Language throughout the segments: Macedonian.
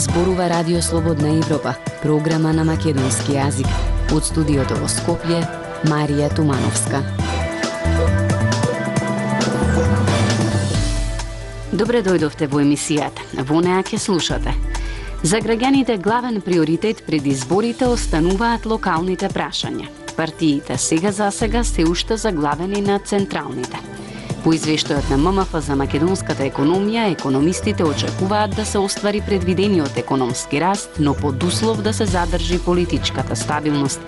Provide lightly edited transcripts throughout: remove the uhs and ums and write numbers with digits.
Зборува Радио Слободна Европа, програма на македонски јазик. Од студиото во Скопје, Марија Тумановска. Добре дојдовте во емисијата. Во неа ќе слушате. За граѓаните главен приоритет пред изборите остануваат локалните прашања. Партиите сега се уште заглавени на централните. По извештајот на ММФ за македонската економија, економистите очекуваат да се оствари предвидениот економски раст, но под услов да се задржи политичката стабилност.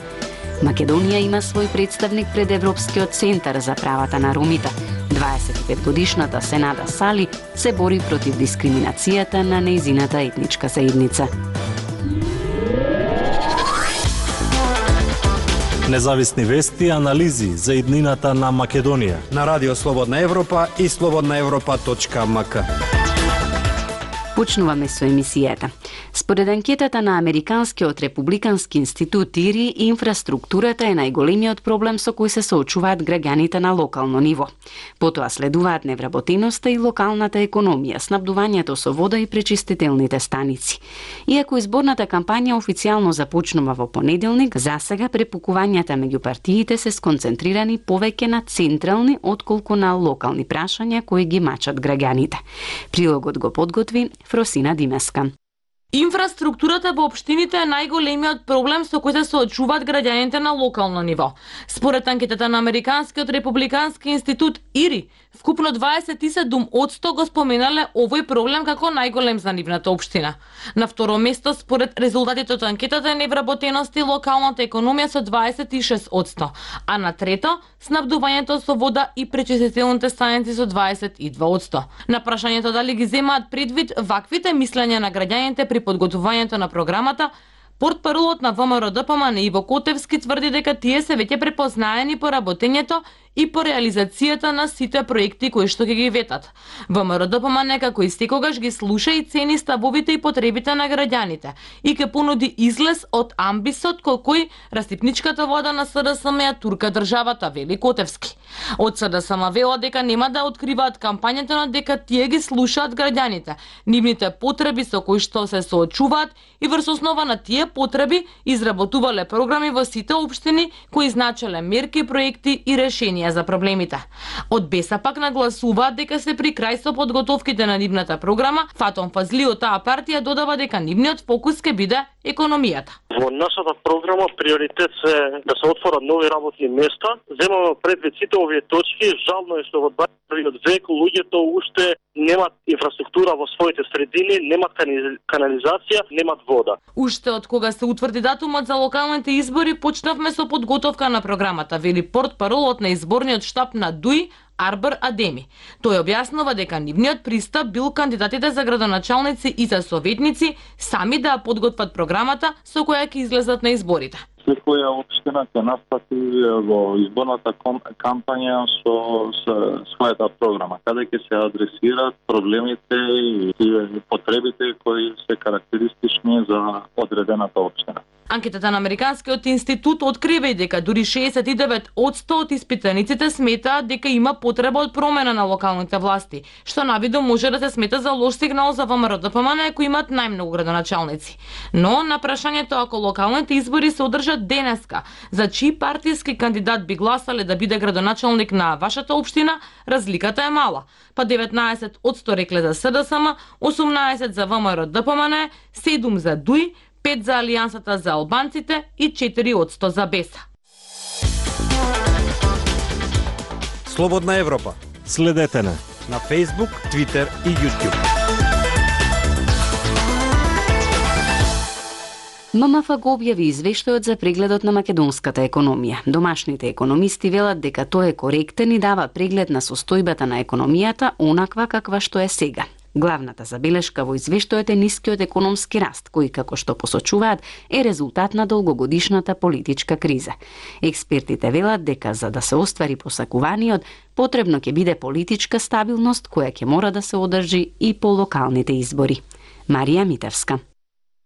Македонија има свој представник пред Европскиот центар за правата на ромите. 25-годишната Сенада Сали се бори против дискриминацијата на нејзината етничка заедница. Независни вести и анализи за иднината на Македонија на Радио Слободна Европа и slobodnaevropa.mk. Почнуваме со емисијата. Според анкетата на Американскиот републикански институт ИРИ, инфраструктурата е најголемиот проблем со кој се соочуваат граѓаните на локално ниво. Потоа следуваат невработеноста и локалната економија, снабдувањето со вода и пречистителните станици. Иако изборната кампања официјално започнува во понеделник, засега препукувањата меѓу партиите се сконцентрирани повеќе на централни отколку на локални прашања кои ги мачат граѓаните. Прилогот го подготви Фросина Димеска. Инфраструктурата во општините е најголемиот проблем со кој се соочуваат граѓаните на локално ниво. Според анкетата на Американскиот републикански институт ИРИ, вкупно 27% го споменале овој проблем како најголем за нивната општина. На второ место, според резултатите од анкетата, е невработеност и локалната економија со 26%, а на трето, снабдувањето со вода и пречистителните станици со 22%. На прашањето дали ги земаат предвид ваквите мислења на граѓаните при подготвувањето на програмата, портпаролот на ВМРО-ДПМН Иво Котевски тврди дека тие се веќе препознаени по работењето и по реализацијата на сите проекти кои што ги ветат. ВМРО-ДПМН како и секогаш ги слуша и цени ставовите и потребите на граѓаните и ќе понуди излез од амбисот кој растипничката вода на СДСМ ја турка државата, вели Котевски. Од СДСМ велат дека нема да откриваат кампањата, но дека тие ги слушаат граѓаните, нивните потреби со кои што се соочуваат и врз основа на тие потреби изработувале програми во сите општини кои значеле мерки, проекти и решенија за проблемите. Од БЕСА пак нагласуваат дека се при крај со подготовките на нивната програма. Фатон Фазли од таа партија додава дека нивниот фокус ќе биде економијата. Во нашата програма приоритет се да се отворат нови работни места. Земаме предвид сите овие точки. Жално е што во 21 век луѓето уште немат инфраструктура во своите средини, немат канализација, немат вода. Уште од кога се утврди датумот за локалните избори, почнавме со подготовка на програмата, вели портпаролот на изборниот штаб на ДУИ Арбар Адеми. Тој објаснува дека нивниот пристап бил кандидатите за градоначалници и за советници сами да подготват програмата со која ќе излезат на изборите. Секоја општина ќе настапи во изборната кампања со својата програма, каде ќе се адресираат проблемите и потребите кои се карактеристични за одредената општина. Анкетата на Американскиот институт открива и дека дури 69% од испитаниците сметаат дека има потреба од промена на локалните власти, што навидо може да се смета за лош сигнал за ВМРО-ДПМН кои имаат најмногу градоначалници. Но на прашањето ако локалните избори се одржат денеска, за чии партиски кандидат би гласале да биде градоначалник на вашата општина, разликата е мала. Па 19% рекле за СДСМ, 18% за ВМРО-ДПМН, 7% за ДУИ, 5% за Алијансата за албанците и 4% за БЕСА. Слободна Европа. Следете на Facebook, Twitter и YouTube. ММФ го објави извештајот за прегледот на македонската економија. Домашните економисти велат дека тој е коректен и дава преглед на состојбата на економијата онаква каква што е сега. Главната забелешка во извештајот е нискиот економски раст, кој, како што посочуваат, е резултат на долгогодишната политичка криза. Експертите велат дека за да се оствари посакуваниот, потребно ќе биде политичка стабилност која ќе мора да се одржи и по локалните избори. Марија Митевска.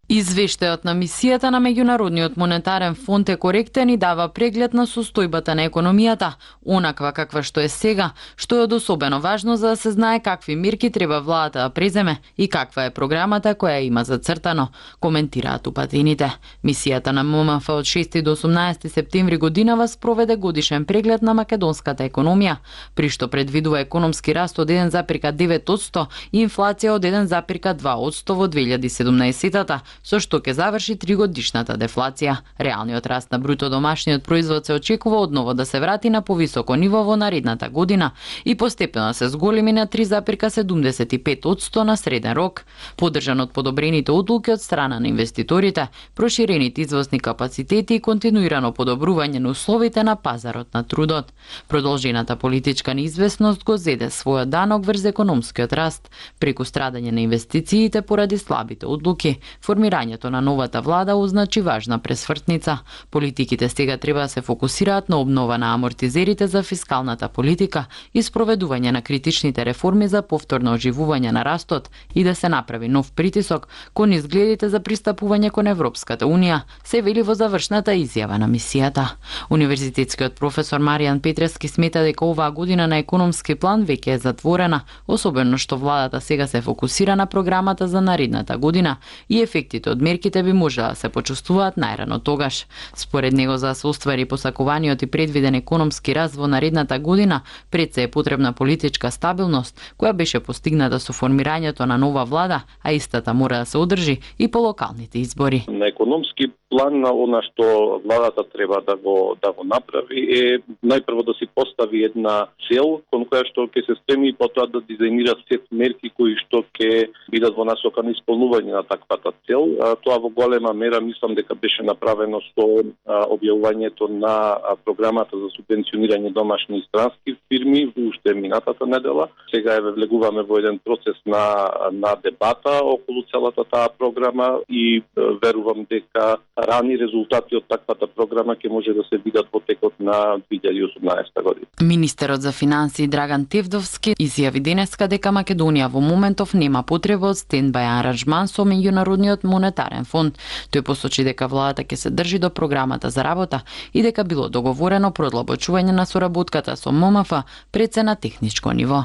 Извештајот на мисијата на Меѓународниот монетарен фонд е коректен и дава преглед на состојбата на економијата, онаква каква што е сега, што е од особено важно за да се знае какви мерки треба владата да преземе и каква е програмата која има зацртано, коментираат упатените. Мисијата на ММФ од 6 до 18 септември годинава спроведе годишен преглед на македонската економија, при што предвидува економски раст од 1,9% и инфлација од 1,2% во 2017-та, со што ќе заврши 3-годишната дефлација. Реалниот раст на бруто домашниот производ се очекува одново да се врати на повисоко ниво во наредната година и постепено се зголеми на 3,75% на среден рок, поддржан од подобрените одлуки од страна на инвеститорите, проширените извозни капацитети и континуирано подобрување на условите на пазарот на трудот. Продолжената политичка неизвестност го зеде својот данок врз економскиот раст, преку страдање на инвестициите поради слабите одлуки. Формирањето на новата влада означи важна пресвртница. Политиките сега треба да се фокусираат на обнова на амортизерите за фискалната политика и спроведување на критичните реформи за повторно оживување на растот и да се направи нов притисок кон изгледите за пристапување кон Европската унија, се вели во завршната изјава на мисијата. Универзитетскиот професор Маријан Петрески смета дека оваа година на економски план веќе е затворена, особено што владата сега се фокусира на програмата за наредната година и ефектите од мерките би можела да се почувствуваат најрано тогаш. Според него, за да се оствари посакуваниот и предвиден економски раст во наредната година, пред се е потребна политичка стабилност, која беше постигната со формирањето на нова влада, а истата мора да се одржи и по локалните избори. На економски план на она што владата треба да го направи е најпрво да си постави една цел кон која што ќе се стреми и потоа да дизајнира сет мерки кои што ќе бидат во насока на исполнување на таквата цел. Тоа во голема мера мислам дека беше направено со објавувањето на програмата за субвенционирање домашни и странски фирми уште минатата недела. Сега е влегуваме во еден процес на дебата околу целата таа програма и верувам дека рани резултати од таквата програма ќе може да се видат во текот на 2018 година. Министерот за финансии Драган Тевдовски изјави денеска дека Македонија во моментов нема потреба од стендбај аранжман со Меѓународниот монетарен фонд. Тој посочи дека владата ќе се држи до програмата за работа и дека било договорено продлабочување на соработката со ММФ пред се на техничко ниво.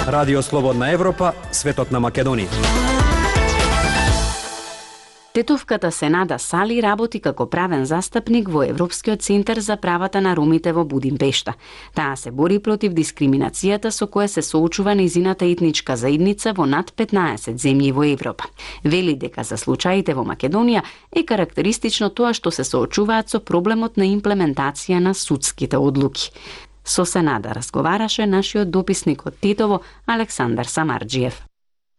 Радио Слободна Европа, светот на Македонија. Тетовката Сенада Сали работи како правен застапник во Европскиот центар за правата на ромите во Будимпешта. Таа се бори против дискриминацијата со која се соочува нејзината етничка заедница во над 15 земји во Европа. Вели дека за случаите во Македонија е карактеристично тоа што се соочуваат со проблемот на имплементација на судските одлуки. Со Сенада разговараше нашиот дописник од Тетово Александар Самарџиев.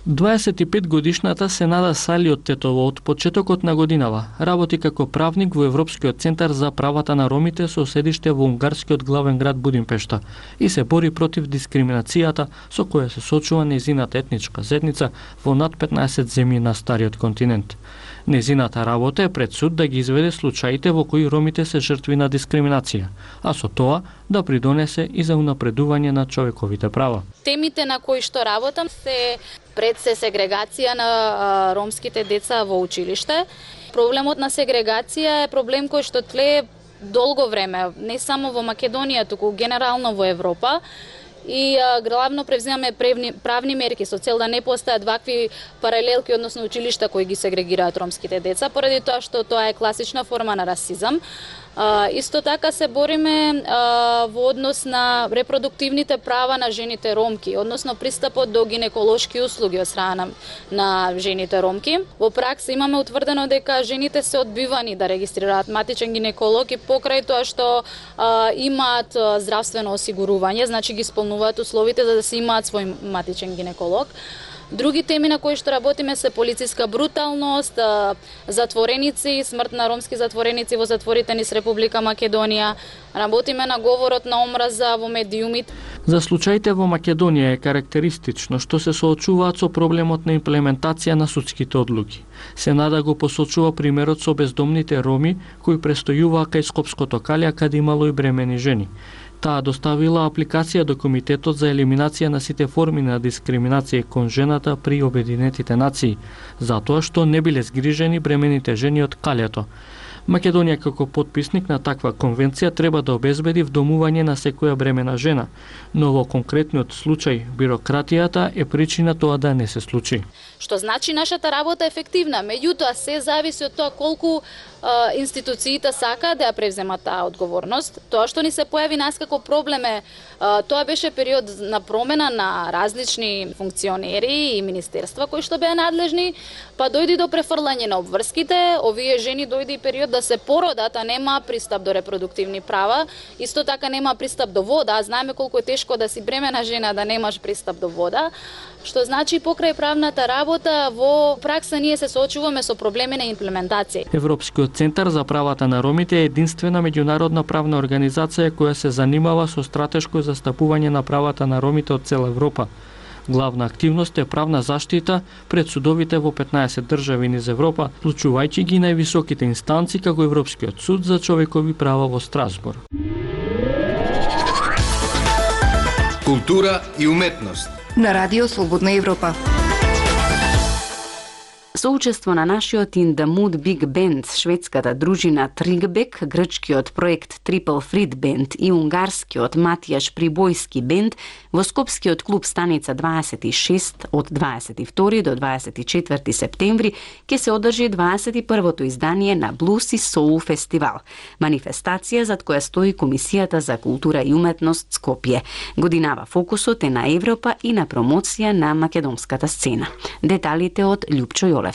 25-годишната Сенада Сали од Тетово од почетокот на годинава работи како правник во Европскиот центар за правата на ромите со седиште во унгарскиот главен град Будимпешта и се бори против дискриминацијата со која се соочува нејзината етничка заедница во над 15 земји на стариот континент. Нејзината работа е пред суд да ги изведе случаите во кои ромите се жртви на дискриминација, а со тоа да придонесе и за унапредување на човековите права. Темите на кои што работам се пред се сегрегација на ромските деца во училиште. Проблемот на сегрегација е проблем кој што тлее долго време, не само во Македонија, туку генерално во Европа. И главно превземаме правни мерки со цел да не постојат вакви паралелки, односно училишта кои ги сегрегираат ромските деца, поради тоа што тоа е класична форма на расизам. Исто така се бориме во однос на репродуктивните права на жените ромки, односно пристапот до гинеколошки услуги од страна на жените ромки. Во пракса имаме утврдено дека жените се одбивани да регистрираат матичен гинеколог и покрај тоа што имаат здравствено осигурување, значи ги исполнуваат условите за да се имаат свој матичен гинеколог. Други теми на кои што работиме се полициска бруталност, затвореници, смрт на ромски затвореници во затворите низ Република Македонија. Работиме на говорот на омраза во медиумите. За случаите во Македонија е карактеристично што се соочуваат со проблемот на имплементација на судските одлуки. Сенада го посочува примерот со бездомните роми кои престојуваа кај Скопското калја каде имало и бремени жени. Таа доставила апликација до Комитетот за елиминација на сите форми на дискриминација кон жената при Обединетите нации, затоа што не биле згрижени бремените жени од калјето. Македонија како потписник на таква конвенција треба да обезбеди вдомување на секоја бремена жена, но во конкретниот случај бирократијата е причина тоа да не се случи. Што значи нашата работа е ефективна, меѓутоа се зависи од тоа колку институциите сакаат да ја превземат таа одговорност. Тоа што ни се појави нас како проблем е, тоа беше период на промена на различни функционери и министерства кои што беа надлежни, па дојди до префрлање на обврските, овие жени дојди период да се породат, а нема пристап до репродуктивни права, исто така нема пристап до вода, знаеме колку е тешко да си бремена жена да немаш пристап до вода, што значи покрај правната работа во пракса ние се соочуваме со проблеми на имплементација. Европскиот центар за правата на ромите е единствена меѓународна правна организација која се занимава со стратешко застапување на правата на ромите од цела Европа. Главна активност е правна заштита пред судовите во 15 држави низ Европа, вклучувајќи ги највисоките инстанции како Европскиот суд за човекови права во Страсбург. Култура и уметност на Радио Слободна Европа. Со учество на нашиот In the Mood Big Band, шведската дружина Тригбек, грчкиот проект Triple Frit Band и унгарскиот Матијаш Прибојски Бенд, во Скопскиот клуб Станица 26 од 22 до 24 септември ќе се одржи 21-то издание на Блуз и Соул фестивал, манифестација зад која стои Комисијата за култура и уметност Скопје. Годинава фокусот е на Европа и на промоција на македонската сцена. Деталите од Љупчо Јолевски.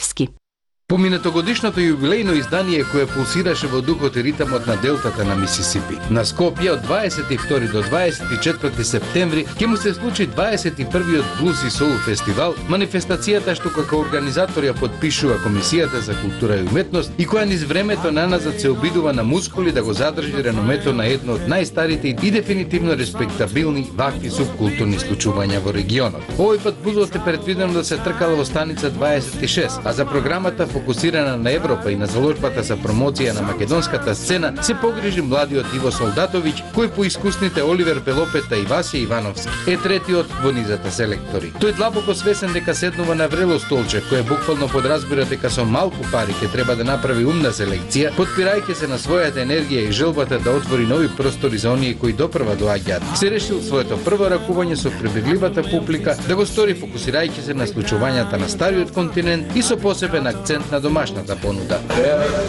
Поминатогодишното јубилејно издание кое пулсираше во духот и ритамот на делтата на Мисисипи. На Скопје од 22 до 24 септември ќе му се случи 21-иот Блуз и Соул фестивал, манифестацијата што како организатор ја подпишува Комисијата за култура и уметност и која низ времето наназад се обидува на мускули да го задржи реномето на едно од најстарите и дефинитивно респектабилни вакви субкултурни случувања во регионот. Овој пат блузот е предвидено да се тркала во Станица 26, а за програмата фокусирана на Европа и на заложбата за промоција на македонската сцена се погрижи младиот Иво Солдатовиќ, кој по искусните Оливер Белопета и Васија Ивановски е третиот во низата селектори. Тој длабоко свесен дека седнува на врело столче, кое буквално подразбира дека со малку пари ќе треба да направи умна селекција, подпирајќи се на својата енергија и желбата да отвори нови простори за оние кои допрва доаѓаат. Се решил своето прво ракување со прибегливата публика да го стори фокусирајќи се на случувањата на стариот континент и со посебен акцент на домашната понуда.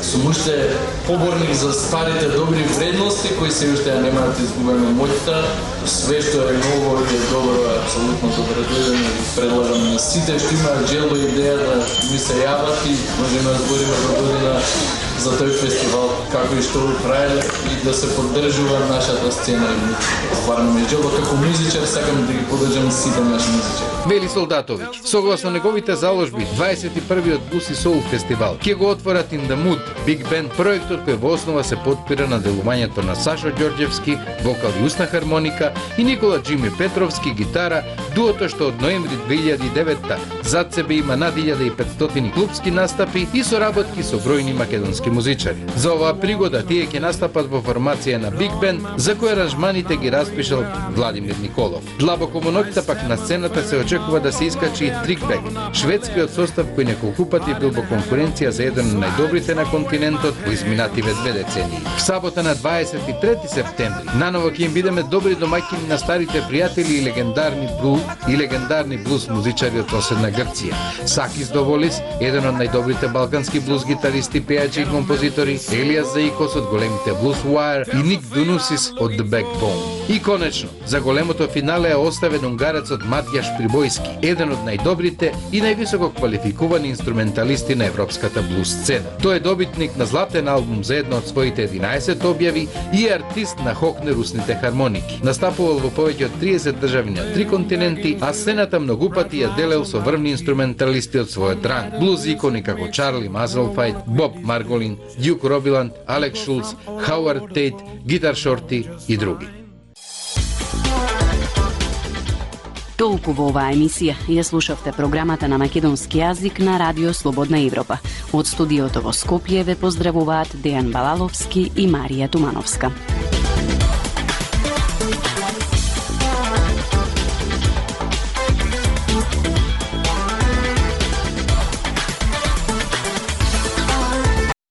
Сум уште поборник за старите добри вредности кои се уште ја нема да изгубиме моќта. Све што е ново и е добро е апсолутно добредојдено и предлагам на сите што имаат желба и идеја да ми се јават и можеме да збориме до година за тој фестивал како и што го правеле и да се поддржува нашата сцена и стварно ми е желба како музичар сакам да ги поддржам сите наши музичари. Вели Солдатовиќ, согласно неговите заложби, 21-иот Блуз и Соул фестивал ќе го отворат In the Mood Big Band, проектот кој во основа се подпира на делувањето на Сашо Ѓорѓевски, вокал и усна хармоника, и Никола Джими Петровски, гитара, дуото што од ноември 2009 зад себе има над 1500 клубски настапи и соработки со бројни македонски музичари. За оваа пригода тие ќе настапат во формација на Big Band, за кој аранжманите ги распишал Владимир Николов. Длабоко во ноќта пак на сцената се очекува да се искачи и Тригбек, шведскиот состав кој неколку пати бил во конкуренција за еден од најдобрите на континентот во изминативе 2 децении. В сабота на 23 септември наново ќе им бидеме добри домаќини на старите пријатели и легендарни блуз музичари од соседна Грција. Сакис Доволис, еден од најдобрите балкански блуз гитаристи, пејачи и композитори, Елијас Заикос од големите Blues Wire и Ник Дунусис од The Backbone. И конечно, за големото финале е оставен унгарецот Матијаш Прибојски, еден од најдобрите и највисоко квалификувани инструменталисти на европската блуз сцена. Тој е добитник на златен албум за едно од своите 11 објави и е артист на хокнерусните хармоники. Настапувал во повеќе од 30 држави на 3 континенти, а сцената многу пати ја делел со врвни инструменталисти од својот ранг. Блуз икони како Чарли Мазелфајт, Боб Марголин, Дјук Робиланд, Алекс Шулц, Хауард Тейт, Гитар Шорти и други. Толку во оваа емисија. Ја слушавте програмата на македонски јазик на Радио Слободна Европа. Од студиото во Скопје ве поздравуваат Дејан Балаловски и Марија Тумановска.